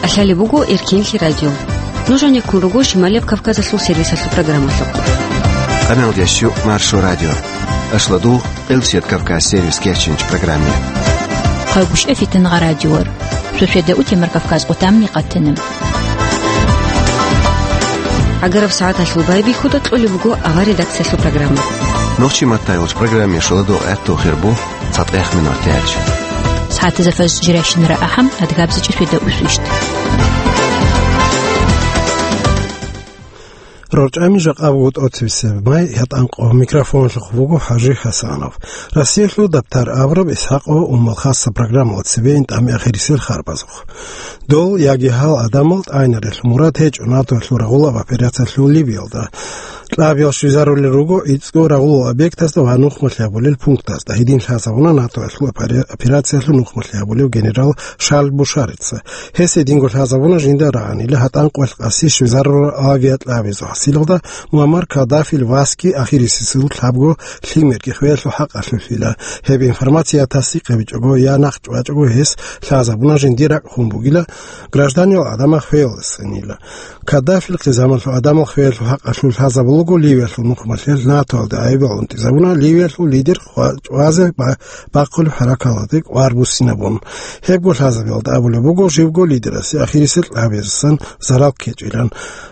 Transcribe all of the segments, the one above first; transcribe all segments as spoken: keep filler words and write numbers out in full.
КӀалъалеб буго Эркенлъи радио. Нуж гьанеккун руго Шималияб Кавказалъул сервисалъул программалъухъ. Къаналдящу Маршо радио. Ашладу Элчет Кавказ сервис кечинч программе. Хъагушев Фитнагъа радиор. Суседа утемар Кавказ къутамни къатана. Агараб сагӀаталъул байбихьуда кьолеб буго авар редакциялъул программа. Нохчи маттайолч программе шоладо гӀатту хирбу. ЦатӀех минутач. СагӀатазда фаз жирайщинара ахӀам, адгабзичӀи светда усвищт. РорчӀами жакъа буго тӀоцебесеб май, гьатӀанкъо микрофонлъухъ буго ХӀажи Хасанов. Россиялъул дабтар абураб ИсхӀакъ ва Умал хасса программала цебе ин тӀами ахирисел харбазухъ. Дол яги гьал гӀадамал тӀайнарелъул мурад гьечӀо НАТОялъул рагъулаб операциялъул Ливиялда. Кьабиял щвезарулел руго ицӀго рагъулал объектазда ва нухмалъи гьабулел пунктазда. Гьедин лъазабуна НАТОялъул опери-, операциялъул нухмалъи гьабулев генерал Шарль Бушарица. Гьес гьединго лъазабуна жинда рагӀанила гьатӀанкъоялъ къаси щвезарурал авиакьабизул хӀасилалда Муаммар Каддафил васги ахирисесул лъабго лъимерги хвеялъул хӀакъалъулъила. Гьеб информация я тасдикъ гьабичӀого, я нахъ чӀвачӀого гьес лъазабуна жиндир ракӀ хун бугила, гражданиял гӀадамал хвеялдасанила. Каддафил хъизамалъул гӀадамал хвеялъул хӀакъалъулъ лъазабулаго Ливиялъул нухмалъел НАТОялда гӀайибал унтӀизабуна Ливиялъул лидер хва-, чӀвазе ба-, бахъулеб хӀаракаталде кӀвар буссинабун. Гьебго лъазабиялда абулеб буго, живго лидерасе ахирисел кьабиязасан зарал ккечӀилан.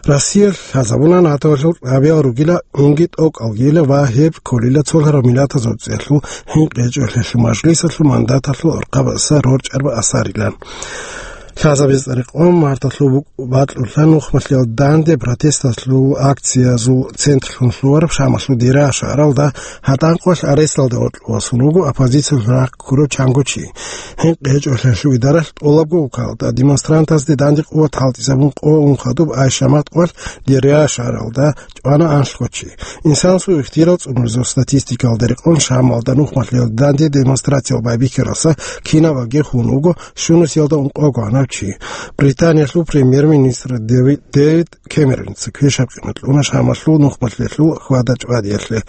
Россиялъ лъазабуна НАТОялъул кьабиял ругила унги тӀокӀалгила ва гьеб кколила цолъараб миллатазул цӀеялъул хӀинкъичӀолъиялъул мажлисалъул мандаталъул гӀурхъабаса рорчӀараб асарилан. Лъазабиз цӀарикъон марталъул бу-, бакьулъа нухмалъиял данде протесталъул акциязул центрлъун лъугьараб Шамалъул Деря шагьаралда гьатӀанкъоялъ аресталда гъоркьовасун руго оппозициялъул рахъ ккурав чанго чи. ХӀинкъи гьечӀолъиялъул идаралъ тӀолабго укалда демонстрантазде данде къуват хӀалтӀизабун къо ун хадуб Айшамат къвалъ Деря шагьаралда чӀвана анлъго чи. Инсанасул ихтияр цӀунурзул статистикалда рекъон Шамалда нухмалъиял данде демонстрациял байбихьаралса кинаб аги хун вуго щунусиялда ункъого гьанав чи. Британиялъул премьер-министр Дэви-, Дэвид Кэмероница квешаб къимат кьуна Шамалъул нухмалъиялъул хьвада-чӀвадиялъе.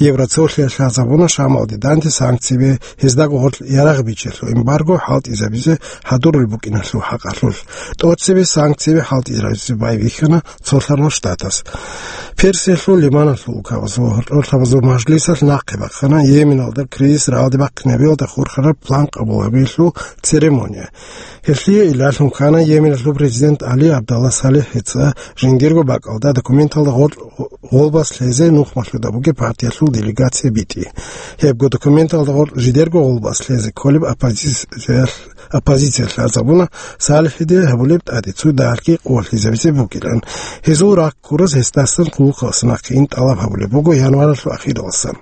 Евроцолъиялъ лъазабуна Шамалде данде санкцияби, гьездаго гъорлъ ярагъ бичелъул эмбарго хӀалтӀизабизе хӀадурулеб букӀиналъул хӀакъалъулъ. ТӀоцебе санкцияби хӀалтӀизабизе байбихьана Цолъарал Штатас. Персиялъул, Лиманалъул укабазул гьоркьорлъабазул мажлисалъ нахъе бахъана Йеменалда кризис рагӀалде бахъинабиялда хурхараб план къабул гьабиялъул церемония. Гьелъие илалъун ккана Йеменалъул президент ГӀали Абдалла СалихӀица жиндирго бакӀалда документалда гъоркь гъолбас лъезе нухмалъуда бугеб партиялъул делегация битӀи. Гьебго документалда гъоркь жидерго гъолбас лъезе кколеб оппозициялъ, оппозициялъ лъазабуна СалихӀиде гьабулеб тӀаде цо дагьалги къувалъизабизе бугилан. Гьезул рахъ ккураз гьесдасан хъулухъалъ нахъе ин тӀалаб гьабулеб буго январалъул ахираласан.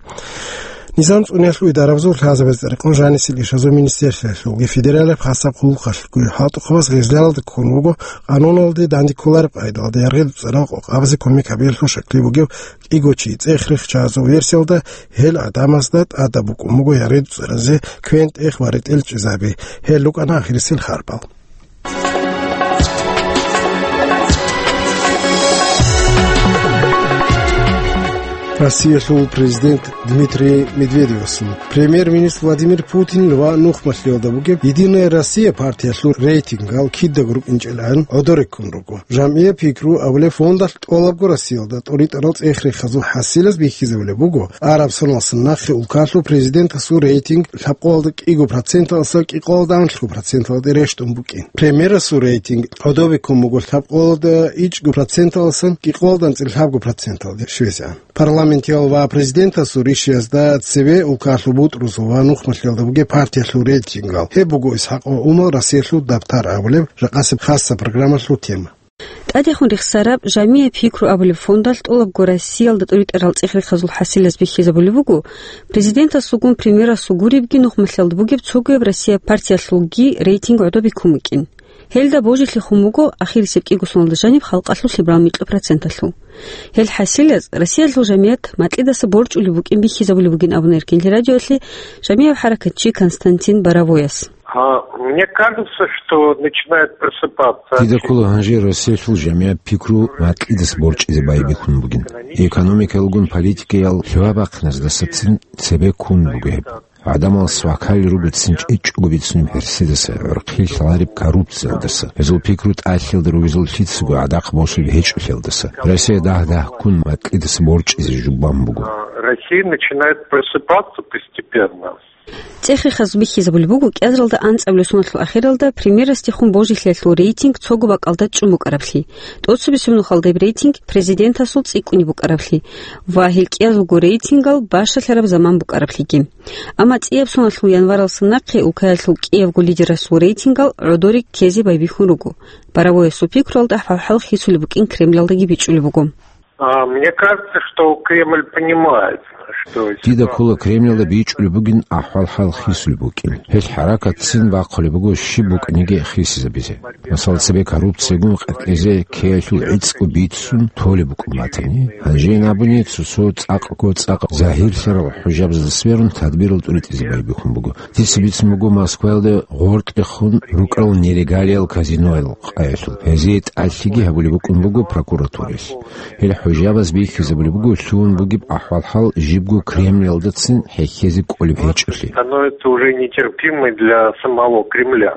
Низам цӀуниялъул идарабазул лъазабазда рекъон жанисел ишазул министерствоялъулги федералияб хасаб хъулухъалъулги хӀалтӀухъабаз гъезлъиялда ккун вуго къануналде данде кколареб къайдалда яргъи дуцӀарал къокъабазе кумек гьабиялъул шакли бугев кӀиго чи. ЦӀех-рехчазул версиялда гьел гӀадамазда тӀадаб букӀун буго яргъи дуцӀаразе квен-тӀех ва ретӀел чӀезаби. Гьел рукӀана ахирисел харбал. Россиялъул президент Дмитрий Медведевасул, премьер-министр Владимир Путинил ва нухмалъиялда бугеб «Единая Россия» партиялъул рейтингал кидаго рукӀинчӀелгӀан гӀодореккун руго. «Жамгьия пикру» абулеб фондалъ тӀолабго Россиялда тӀоритӀарал цӀех-рехазул хӀасилаз бихьизабулеб буго, араб соналъ нахъе улкалъул президентасул рейтинг лъабкъоялда кӀиго проценталдаса кӀикъоялда анлъго проценталде рещтӀун букӀин. Премьерасул рейтинг гӀодобеккун буго лъабкъоялда ичӀго проценталдасан кӀикъоялда анцӀила лъабго проценталде щвезегӀан. Парламентиял ва президентасул ришиязда цеве улкалъул бутӀрузул ва нухмалъиялда бугеб партиялъул рейтингал. Гьеб буго ИсхӀакъ ва Умал Россиялъул дабтар абулеб жакъасеб хасса программалъул тема. ТӀадехун рехсараб «Жамия пикру» абулеб фондалъ тӀолабго Россиялда тӀоритӀарал цӀех-рехазул хӀасилаз бихьизабулеб буго, президентасулгун премьерасул гуребги нухмалъиялда бугеб цогояб Россия партиялъулги рейтинг гӀодобеккун букӀин. Гьелда божилъи хун буго ахирисеб кӀиго соналда жаниб халкъалъул лъабаб микьго проценталъул. Гьел хӀасилаз Россиялъул жамият макьидаса борчӀулеб букӀин бихьизабулеб бугин абуна Эркенлъи радиоялъе жамияб хӀаракатчи Константин Боровояс. А, мне кажется, что начинает просыпаться. Дида ккола гьанже Россиялъул жамияб пикру макьидаса борчӀизе байбихьун бугин. Экономикалгун политикаял лъугьа-бахъиназдасацин цебе ккун буго гьеб. ГӀадамал свакали ругецин чӀечӀого бицунеб гьерсидаса, гӀурхъи лъалареб коррупциялдаса, гьезул пикру тӀалъиялда ругезул лъицаго гӀадахъ босулеб гьечӀолъиялдаса. Россия дагь-дагьккун макьидаса борчӀизе жубан буго. Россия начинает просыпаться постепенно. ЦӀехихъаз бихьизабулеб буго, кӀиазаралда анцӀабилеб соналъул ахиралда премьерасдехун божилъиялъул рейтинг цого бакӀалда чӀун букӀараблъи, тӀоцебесеб нухалда гьеб рейтинг президентасул цӀикӀкӀунеб букӀараблъи ва гьел кӀиязулго рейтингал бащалъараб заман букӀараблъиги. Амма цӀияб соналъул январалдаса нахъе улкаялъул кӀиябго лидерасул рейтингал гӀодоре ккезе байбихьун руго. Боровоясул пикруялда хӀалхӀал хисулеб букӀин Кремлалдаги бичӀчӀулеб буго. А, мне кажется, что Кремль понимает, что Дида ситуация ккола Кремлалда бичӀчӀулеб бугин ахӀвал-хӀал хисулеб букӀин. Гьел хӀаракатцин бахъулеб буго щиб букӀаниги хисизабизе. Масала, цебе коррупциягун къаркьизе ккеялъул гӀицӀго бицун толеб букӀун батани, гьанже ин абуни, цо-цо цӀакъго цӀакъ загьирлъарал хӀужабазда сверун тадбирал тӀуритӀизе байбихьун буго. Дица бицун буго Москваялда гъоркьехун рукӀарал нелегалиял казиноял къаялъул. Гьезие тӀалъиги гьабулеб букӀун буго прокуратураялъ. Гьел хӀужабаз бихьизабулеб буго лъугьун бугеб ахӀвал-хӀал жибго Кремлалдацин хӀехьезе кӀолеб гьечӀолъи. Становится уже нетерпимой для самого Кремля.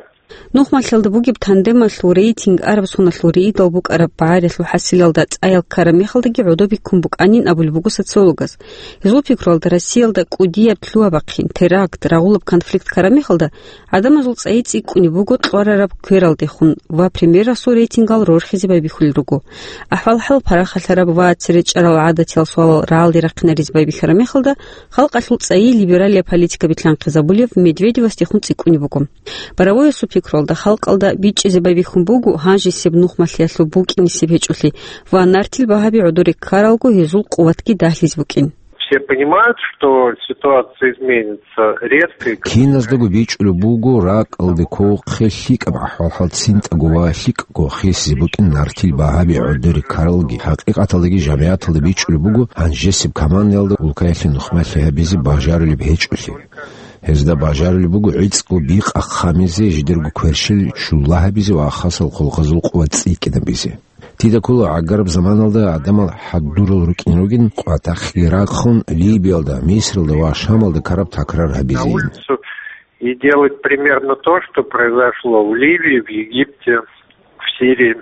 Нухмалъиялда бугеб тандемалъул рейтинг араб соналъул рейдал букӀараб багӀариялъул хӀасилалда цӀаял ккараб мехалдаги гӀодобе ккун букӀанин абулеб буго социологаз. Гьезул пикруялда, Россиялда кӀудияб лъугьа-бахъин, теракт, рагъулаб конфликт ккараб мехалда, гӀадамазул цӀайи цӀикӀкӀунеб буго кьварараб квералдехун ва премьерасул рейтингал рорхизе байбихьулел руго. АхӀвал-хӀал парахалъараб ва цере чӀарал гӀадатиял суалал рагӀалде рахъинаризе байбихьараб мехалда, халкъалъул цӀайи либералияб политика билълъанхъизабулев Медведевасдехун цӀикӀкӀунеб буго. Боровоясул пикруялда, халкъалда бичӀчӀизе байбихьун буго гьанжесеб нухмалъиялъул букӀинисеб гьечӀолъи ва нартил багьаби гӀодоре ккаралго гьезул къуватги дагьлъизе букӀин. Все понимают, что ситуация изменится резко и кардинально. Киназдаго бичӀчӀулеб буго ракӀалде кколхъе лъикӀаб ахӀвал-хӀал цинтӀаго ва лъикӀго хисизе букӀин нартил багьаби гӀодоре ккаралги. ХӀакъикъаталдаги жамигӀаталда бичӀчӀулеб буго гьанжесеб каманиялда улкаялъе нухмалъи гьабизе бажарулеб гьечӀолъи. Гьезда бажарулеб буго гӀицӀго бикъа хъамизе, жидерго кверщел чула гьабизе ва хасал хъулухъазул къуват цӀикӀкӀинабизе. Дида ккола гӀагараб заманалда гӀадамал хӀадурал рукӀин ругин, къватахъги рахъун, Либиялда, Мисралда ва Шамалда ккараб такрар На гьабизейин. Улицу и делать примерно то, что произошло в Ливии, в Египте, в Сирии.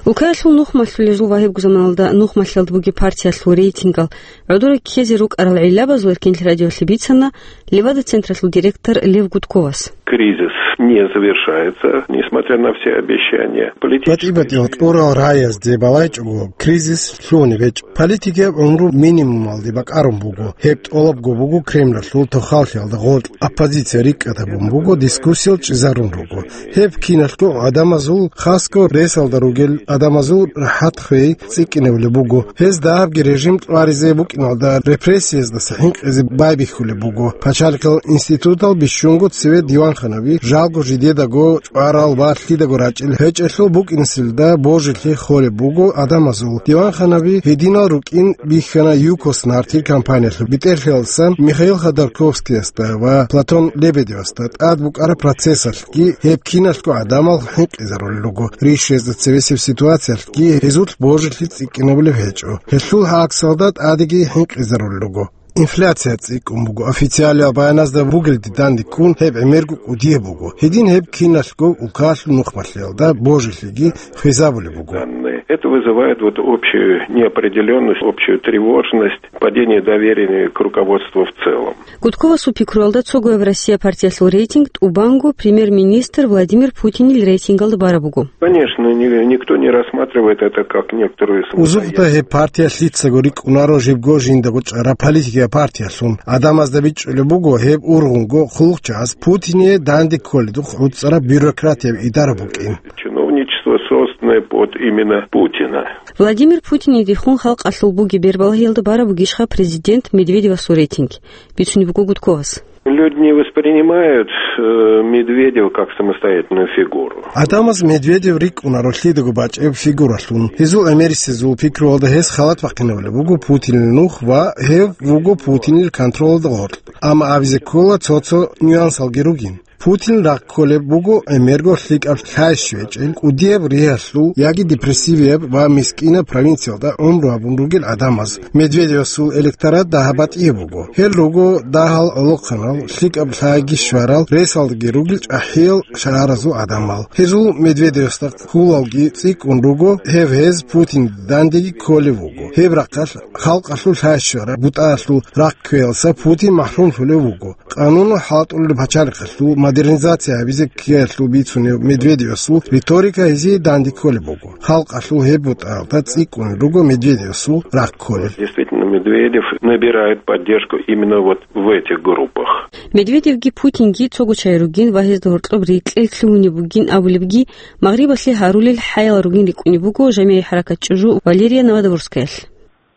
Улкаялъул нухмалъулел жул ва гьебго заманалда нухмалъиялда бугеб партиялъул рейтингал гӀодоре ккезе рукӀарал гӀиллабазул Эркенлъи радиолъе бицана Левада-централъул директор Лев Гудковас. Кризис не завершается, несмотря на все обещания. Политическая БатӀи-батӀиял кьурал раязде балайчӀого, кризис лъугьунеб гьечӀо. Политикияб гӀумру минимумалде бакӀарун буго. Гьеб тӀолабго буго Кремлалъул тохаллъиялда гъоркь. Оппозиция рикӀкӀад гьабун буго, дискуссиял чӀезарун руго. Гьеб киналъго гӀадамазул, хасго ресалда ругел гӀадамазул рахӀат хвей цӀикӀкӀинабулеб буго. Гьез дагьабги режим тӀваризе букӀиналда репрессияздаса хӀинкъизе байбихьулеб буго. Пачалихъал институтал бищунго цеве диванханаби, жалго жидедаго чӀварал ва лъидаго рачӀел гьечӀелъул букӀинасилда божилъи холеб буго гӀадамазул. Диванханаби гьединал рукӀин бихьана ЮКОС нартил компаниялъул бетӀерлъиялдасан Михаил Ходорковскиясда ва Платон Лебедевасда тӀад букӀараб процессалъ. Гьеб киналъго гӀадамал хӀинкъизарулел руго, ришезда цевесеб ситуациялъги гьезулъ божилъи цӀикӀкӀинабулеб гьечӀо. Гьелъул гӀаксалда тӀадеги хӀинкъизарулел руго. Инфляция цӀикӀкӀун буго, официалиял баяназда бугелде дандеккун гьеб гӀемерго кӀудияб буго. Гьедин гьеб киналъго улкалъул нухмалъиялда божилъиги хвезабулеб буго. Данные. Это вызывает вот общую неопределённость, общую тревожность, падение доверия к руководству в целом. Гудковасул пикруялда, цогояб Россия партиялъул рейтинг тӀубанго премьер-министр Владимир Путинил рейтингалда бараб буго. Конечно, ни-, никто не рассматривает это как некоторую самостоятельность. Узухъда гьеб партия лъицаго рикӀкӀунаро жибго жиндаго чӀараб политикияб партиялъун. ГӀадамазда бичӀчӀулеб буго гьеб ургъунго хъулухъчагӀаз Путине данде кколедухъ гӀуцӀараб бюрократияб идара букӀин. Чиновничество, созданное под именно Путина. Владимир Путинидехун халкъалъул бугеб бербалагьиялда бараб бугищха президент Медведевасул рейтинг? Бицунеб буго Гудковас. Люди не воспринимают, э, Медведева как самостоятельную фигуру. ГӀадамаз Медведев рикӀкӀунаро лъидаго бачӀеб фигуралъун. Гьезул гӀемерисезул пикруялда гьес халат бахъинабулеб буго Путинил нух ва гьев вуго Путинил контролалда гъоркь. Амма абизе ккола цо-цо нюансалги ругин. Путин ракколеб буго гӀемерго лъикӀаб лъай щвечӀел, кӀудияб ригьалъул яги депрессивияб ва мискинаб провинциялда гӀумру гьабун ругел гӀадамаз. Медведевасул электорат дагьаб батӀияб буго. Гьел руго дагьал гӀолохъанал, лъикӀаб лъайги щварал, ресалдаги ругел чӀахӀиял шагьаразул гӀадамал. Гьезул Медведевасда хьулалги цӀикӀкӀун руго, гьеб гьез Путин дандеги кколев вуго. Гьеб рахъалъ халкъалъул лъай щвараб бутӀаялъул рахъ кквеялдаса Путин махӀрумлъулев вуго. Къануну хӀалтӀулел пачалихъалъул модернизация гьабизе ккеялъул бицунев Медведевасул риторика гьезие данде кколеб буго. Халкъалъул гьеб бутӀаялда цӀикӀкӀунел руго Медведевасул рахъ кколел. Действительно, Медведев набирает поддержку именно вот в этих группах. Медведевги Путинги цого чагӀи ругин ва гьезда гьоркьоб рекьел лъугьунеб бугин абулебги, Магърибалъе гьарулел хӀаял ругин рикӀкӀунеб буго жамигӀи хӀаракат ЧӀужу Валерия Новодворскаялъ.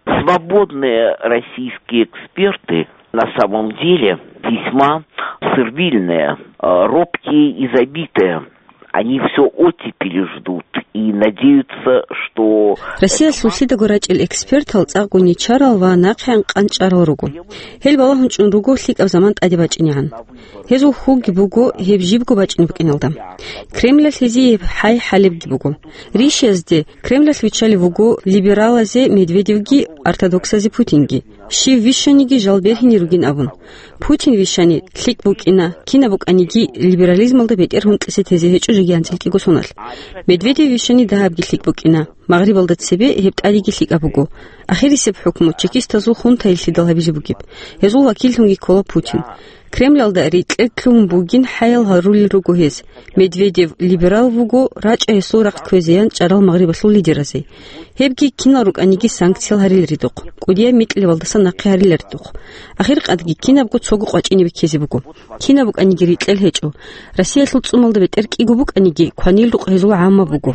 Свободные российские эксперты на самом деле весьма сервильные, э, робкие и забитые. Они всё оттепели ждут и надеются, что Россиялъул лъидаго рачӀел экспертал цӀакъго нечарал ва нахъегӀан къанчӀарал руго. Гьел балагьун чӀун руго лъикӀаб заман тӀаде бачӀинегӀан. Гьезул хьулги буго гьеб жибго бачӀине букӀиналда. Кремлалъ гьезие гьеб хӀай хӀалебги буго. Ришиязде Кремлалъ виччалев вуго либералазе Медведевги ортодоксазе Путинги, щив вищаниги жал бергьине ругин абун. Путин вищани лъикӀ букӀина, кинаб букӀаниги либерализмалда бетӀер гьунтӀизе тезе гьечӀо жеги анцӀил кӀиго соналъ. Медведев вищани дагьабги лъикӀ букӀина, Магърибалда цебе гьеб тӀадеги лъикӀаб буго. Ахирисеб хӀукму чекистазул хунтаялъидал гьабизе бугеб. Гьезул вакиллъунги ккола Путин. Кремлалда рекьел лъугьун бугин хӀаял гьарулел руго гьез. Медведев либерал вуго, рачӀа гьесул рахъ кквезеян чӀарал Магърибалъул лидеразе. Гьебги кинал рукӀаниги санкциял гьариларидухъ, кӀудияб микьилабалдаса нахъе гьариларидухъ. Ахиркъадги кинабго цого къвачӀине беккезе буго. Кинаб букӀаниги рекьел гьечӀо. Россиялъул цӀумалда бетӀер кӀиго букӀаниги, кванил рукъ гьезул гӀамма буго.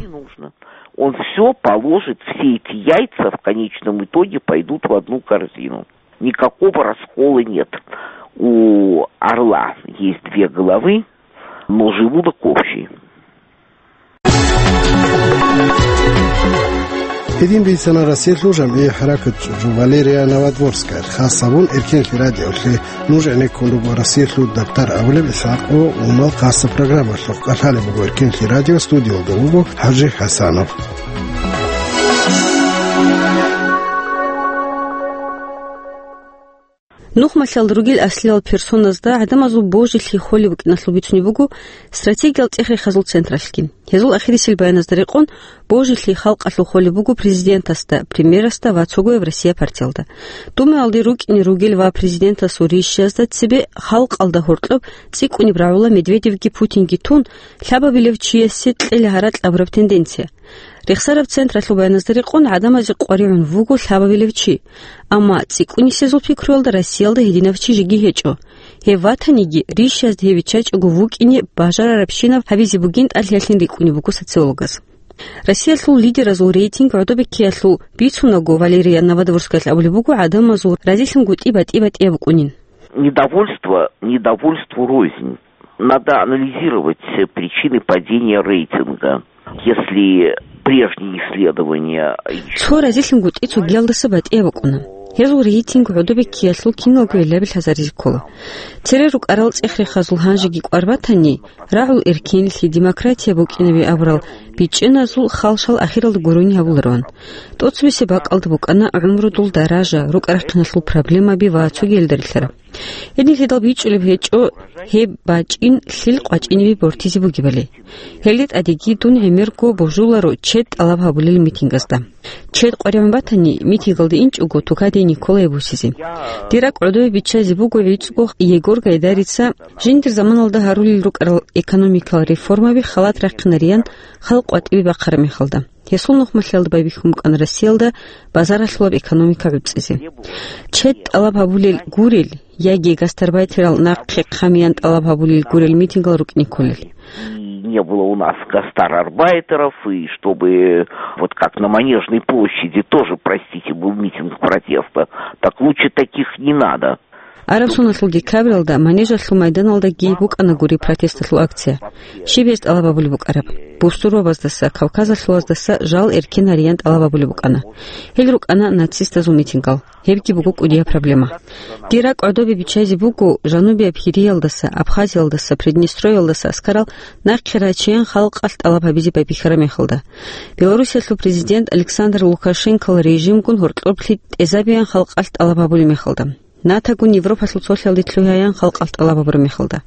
Он всё положит, все эти яйца в конечном итоге пойдут в одну корзину. Никакого раскола нет. У орла есть две головы, но желудок общий. Гьедин бицана Россиялъул жамгӀи хӀаракат чӀужу Валерия Новодворская, хас гьабун Эркенлъи радиолъе. Нуж гӀенеккун руго Россиялъул дабтар абулеб ИсхӀакъо Умал хасаб программалъухъ. КӀалъалеб буго Эркенлъи радио, студиялда вуго ХӀажи ХӀасанов. Нухмалъалда ругел аслиял персоназда гӀадамазул божилъи холеб букӀиналъул бицунеб буго стратегиял цӀех-рехазул централъги. Гьезул ахирисел баяназда рекъон, божилъи халкъалъул холеб буго президентасда, премьерасда ва цогояб Россия партиялда. Думаялде рукӀине ругел ва президентасул ришиязда цебе халкъалда гьоркьоб цӀикӀкӀунеб рагӀула Медведевги Путинги тун, лъабабилев чиясе кьела гьаракь абураб тенденция. Рехсараб централъул баяназда рекъон, гӀадамазе къваригӀун вуго лъабабилев чи, амма цӀикӀкӀунисезул пикруялда Россиялда гьединав чи жеги гьечӀо. Гьев ватаниги, ришиязда гьев виччачӀого вукӀине бажарарабщинаб гьабизе бугин тӀалъиялъин рикӀкӀунеб буго социологаз. Россиялъул лидеразул рейтинг гӀодобеккиялъул бицунаго, Валерия Новодворскаялъ абулеб буго гӀадамазул разилъунгутӀи батӀи-батӀияб букӀунин. Недовольство недовольству рознь. Надо анализировать причины падения рейтинга. Если прежние исследования ещё Цо разилъунгутӀи цогиялдаса батӀияб букӀуна. Гьезул рейтинг гӀодобеккиялъул киналго гӀиллаби лъазаризе ккола. Цере рукӀарал цӀех-рехазул гьанжеги кӀвар батани, рагӀул эркенлъи, демократия букӀинаби абурал бичӀчӀиназул халшал ахиралда гурони гьабулароан. ТӀоцебесеб бакӀалда букӀана гӀумрудул даража, рукӀа-рахъиналъул проблемаби ва цогиялда рилълъараб. Гьединлъидал бичӀчӀулеб гьечӀо гьеб бачӀин лъил къвачӀинибе бортизе бугебали. Гьелде тӀадеги дун гӀемерго божуларо чед тӀалаб гьабулел митингазда. Чед къваригӀун батани, митингалде инчӀого Тукаде Николае бусизе. Дир ракӀ гӀодове биччазе буго гӀицӀго Егор Гайдарица жиндир заманалда гьарулел рукӀарал экономикал реформаби халат рахъинариян халкъ къватӀибе бахъараб мехалда. Гьесул нухмалъиялда байбихьун букӀана Россиялда базаралъулаб экономика гӀуцӀизе. Чед тӀалаб гьабулел гурел яги гастарбайтерал нахъе хъамиян тӀалаб гьабулел гурел митингал рукӀине кколел. И не было у нас гастарбайтеров, и чтобы вот как на Манежной площади тоже, простите, был митинг протеста, так лучше таких не надо. Араб соналъул декабралда Манежалъул майданалдаги букӀана гури протесталъул акция. Щиб гьез тӀалаб гьабулеб букӀараб? Бусурбабаздаса, кавказалъулаздаса жал эркен гьариян тӀалаб гьабулеб букӀана. Гьел рукӀана нацистазул митингал. Гьебги буго кӀудияб проблема. Дир ракӀ гӀодобе биччайзе буго, жанубияб Гьириялдаса, Абхазиялдаса, Приднестровьялдаса аскарал нахъе рачеян халкъалъ тӀалаб гьабизе байбихьараб мехалда. Белоруссиялъул президент Александр Лукашенкол режимгун гьоркьоблъи тӀезабеян халкъалъ тӀалаб гьабулеб мехалда. НАТОгун Европалъул цолъиялде лъугьаян халкъалъ тӀалаб гьабураб мехалда.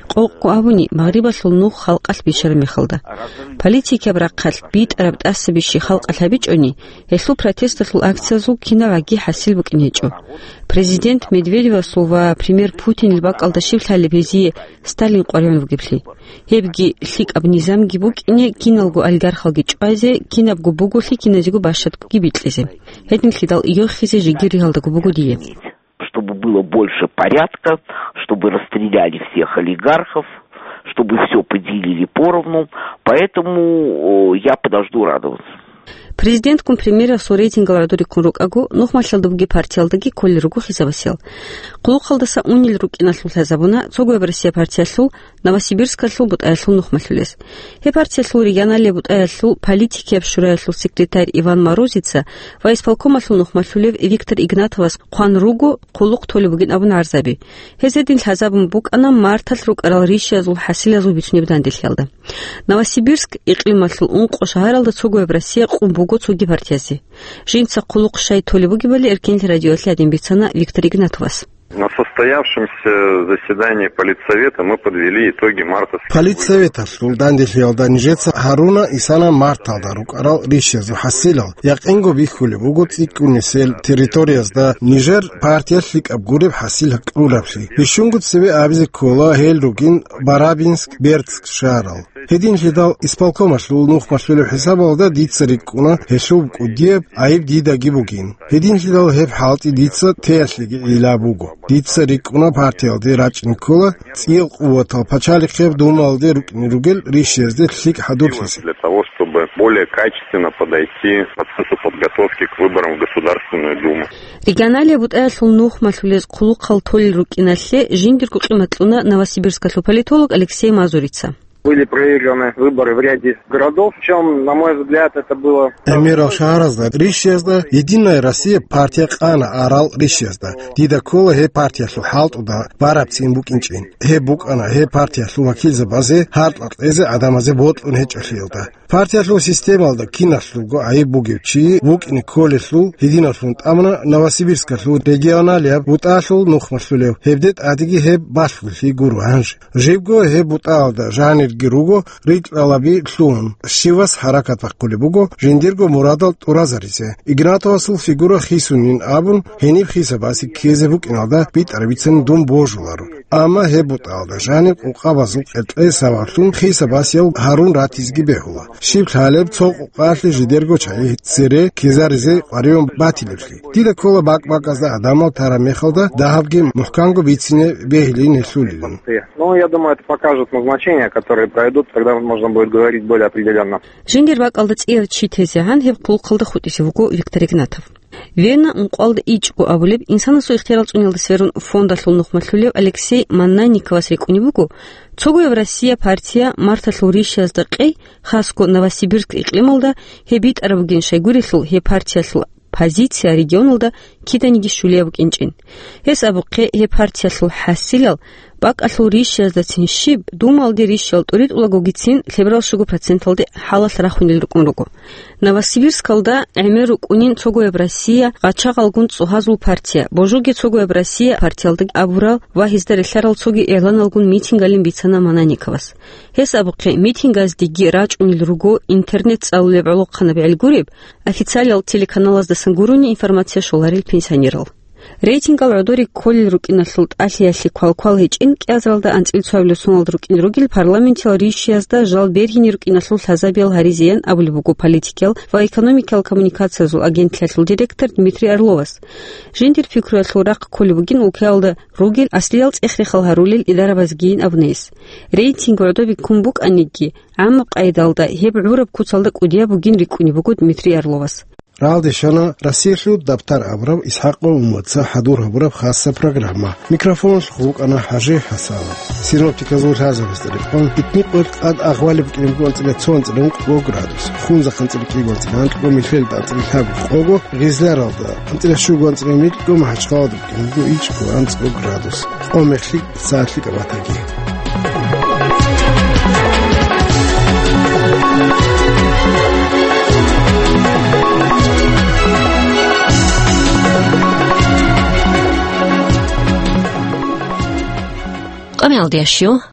Къокъго абуни, Магърибалъул нух халкъалъ бищараб мехалда. Политикияб рахъалъ битӀараб тӀасабищи халкъалъ гьабичӀони, гьелъул протесталъул акциязул кинабгӀаги хӀасил букӀин гьечӀо. Президент Медведевасул ва премьер Путинил бакӀалда щиб лъалеб гьезие Сталин къваригӀун вугеблъи? Гьебги лъикӀаб низамги букӀине, киналго олигархалги чӀвазе, кинабго буголъи киназего бащадгоги бикьизе. Гьединлъидал йохизе жеги ригьалдаго буго дие. Чтобы было больше порядка, чтобы расстреляли всех олигархов, чтобы всё поделили поровну. Поэтому, э, я подожду радоваться. Президенткун премьерасул рейтингал гӀодориккун рукӀаго, нухмалъалда бугеб партиялдаги кколел руго хисабасел. Хъулухъалдаса унел рукӀиналъул лъазабуна цогояб Россия партиялъул Новосибирскалъул бутӀаялъул нухмалъулез. Гьеб партиялъул регионалияб бутӀаялъул политикияб шураялъул секретарь Иван Морозица ва исполкомалъул нухмалъулев Виктор Игнатовас хъван руго хъулухъ толеб бугин абун гӀарзаби. Гьез гьедин лъазабун букӀана марталъ рукӀарал ришиязул хӀасилазул бицунеб данделъиялда. Новосибирск икълималъул ункъо шагьаралда цогояб Россия къун буго цоги партиязе. Жинца хъулухъ щай толеб бугебали Эркенлъи радиоялъе гьадин бицана Виктор Игнатовас. На состоявшемся заседании Политсовета мы подвели итоги мартовских выборов. Политсоветалъул данделъиялда нижеца гьаруна исана марталда рукӀарал ришиязул хӀасилал. Якъинго бихьулеб буго цӀикӀкӀунесел территориязда нижер партиялъ лъикӀаб гуреб хӀасил кьураблъи. Бищунго цебе абизе ккола гьел ругин Барабинск, Бердск шагьарал. Гьединлъидал исполкомалъул нухмалъулеб хӀисабалда дица рикӀкӀуна гьелъул кӀудияб гӀайиб дидаги бугин. Гьединлъидал гьеб хӀалтӀи дица теялъеги гӀила буго. Дица рикӀкӀуна партиялде рачӀине ккола цӀиял къуватал пачалихъеб Думаялде рукӀине ругел ришиязде лъикӀ хӀадурлъизе. Для того, чтобы более качественно подойти к процессу подготовки к выборам в Государственную Думу. Регионалияб бутӀаялъул нухмалъулез хъулухъал толел рукӀиналъе жиндирго къимат кьуна Новосибирскалъул политолог Алексей Мазурица. Были проиграны выборы в ряде городов, причём, на мой взгляд, это было... ГӀемерал шагьаразда ришиязда «Единая Россия» партия къана арал ришиязда. Дида ккола гьеб партиялъул хӀалтӀуда барабцин букӀинчӀин. Гьеб букӀана гьеб партиялъул вакилзабазе гьаркьа-кьезе гӀадамазе бокьун гьечӀолъиялда. Партиялъул системалда киналъулго гӀайиб бугев чи вукӀине кколелъул гьединаллъун тӀамуна Новосибирскалъул регионалияб бутӀалъул нухмалъулев. Гьебде тӀадеги гьеб балъголъи гуро гьанже. Жибго гьеб бутӀаялда жанирги руго рикӀкӀалаби лъугьун, щивас хӀаракат бахъулеб буго жиндирго мурадал тӀуразаризе. Игнатовасул фигура хисунин абун, гьениб хисабасе ккезе букӀиналда битӀараб бицани дун божуларо. Амма гьеб бутӀаялда жаниб къукъабазул къеркьей сабаблъун хисабасияв гьарун ратизеги бегьула. Щиб лъалеб цо къукъалъе жидерго чагӀи цере ккезаризе къваригӀун батилеблъи. Дида ккола бакӀ-бакӀазда гӀадамал тараб мехалда дагьабги мухӀканго бицине бегьилин гьелъулилан. Ну, я думаю, это покажет назначения, которые пройдут, тогда можно будет говорить более определённо. Жиндир бакӀалда цӀияв чи тезегӀан гьеб хъулухъалда хутӀизе вуго Виктор Игнатов. Вена ункъоялда ичӀго абулеб инсанасул ихтиярал цӀуниялда сверун фондалъул нухмалъулев Алексей Маннанниковас рикӀкӀунеб буго, цогояб Россия партия марталъул ришиязда къей, хасго Новосибирск икълималда, гьеб битӀараб бугин щайгурелъул гьеб партиялъул позиция регионалда киданиги щулияб букӀинчӀин. Гьес абухъе, гьеб партиялъул хӀасилал бакӀалъул ришияздацин щиб, Думалде ришиял тӀуритӀулагогицин лъеберал щуго проценталде хӀалалъ рахунел рукӀун руго. Новосибирскалда гӀемер рукӀунин цогояб Россия гъачагъалгун цӀогьазул партия, божуге цогояб Россия партиялда абурал ва гьезда релълъарал цоги игӀланалгун митингалин бицана Мананниковас. Гьес абухъе, митингаздеги рачӀунел руго интернет цӀалулеб гӀолохъанаб гӀел гуреб, официалиял телеканалаздасан гурони информация щоларел пенсионерал. Рейтингал гӀодоре кколел рукӀиналъул тӀалъиялъе квалквал гьечӀин, кӀиазаралда анцӀил цоабилеб соналда рукӀин ругел парламентиял ришиязда жал бергьине рукӀиналъул лъазабиял гьаризеян абулеб буго политикиял ва экономикиял коммуникациязул агентлъиялъул директор Дмитрий Орловас. Жиндир пикруялъул рахъ кколеб бугин улкаялда ругел аслиял цӀех-рехал гьарулел идарабазгийин абунейс. Рейтинг гӀодобе ккун букӀаниги, гӀаммаб къайдалда гьеб гӀураб куцалда кӀудияб бугин рикӀкӀунеб буго Дмитрий Орловас. Рагъалде щвана Россиялъул дабтар абураб ИсхӀакъ Умумаца хӀадур гьабураб хасса программа. Микрофоналъухъ вукӀана ХӀажи ХӀасан. Синоптиказул лъазабазда рекъон, итни къоялъ тӀад Агъвалида букӀине буго анцӀила цо, анцӀила ункъго градус, Хунзахъа анцӀила кӀиго, анцӀила гьанкьго, Мелфелида анцӀила лъабго, къого, Гъизларалда анцӀила щуго, анцӀила мидго, МахӀачхъалада букӀине буго ичӀго, анцӀго градус. Къо мехлъи, сагӀатлъи кӀабатаги. Къамиялдиящу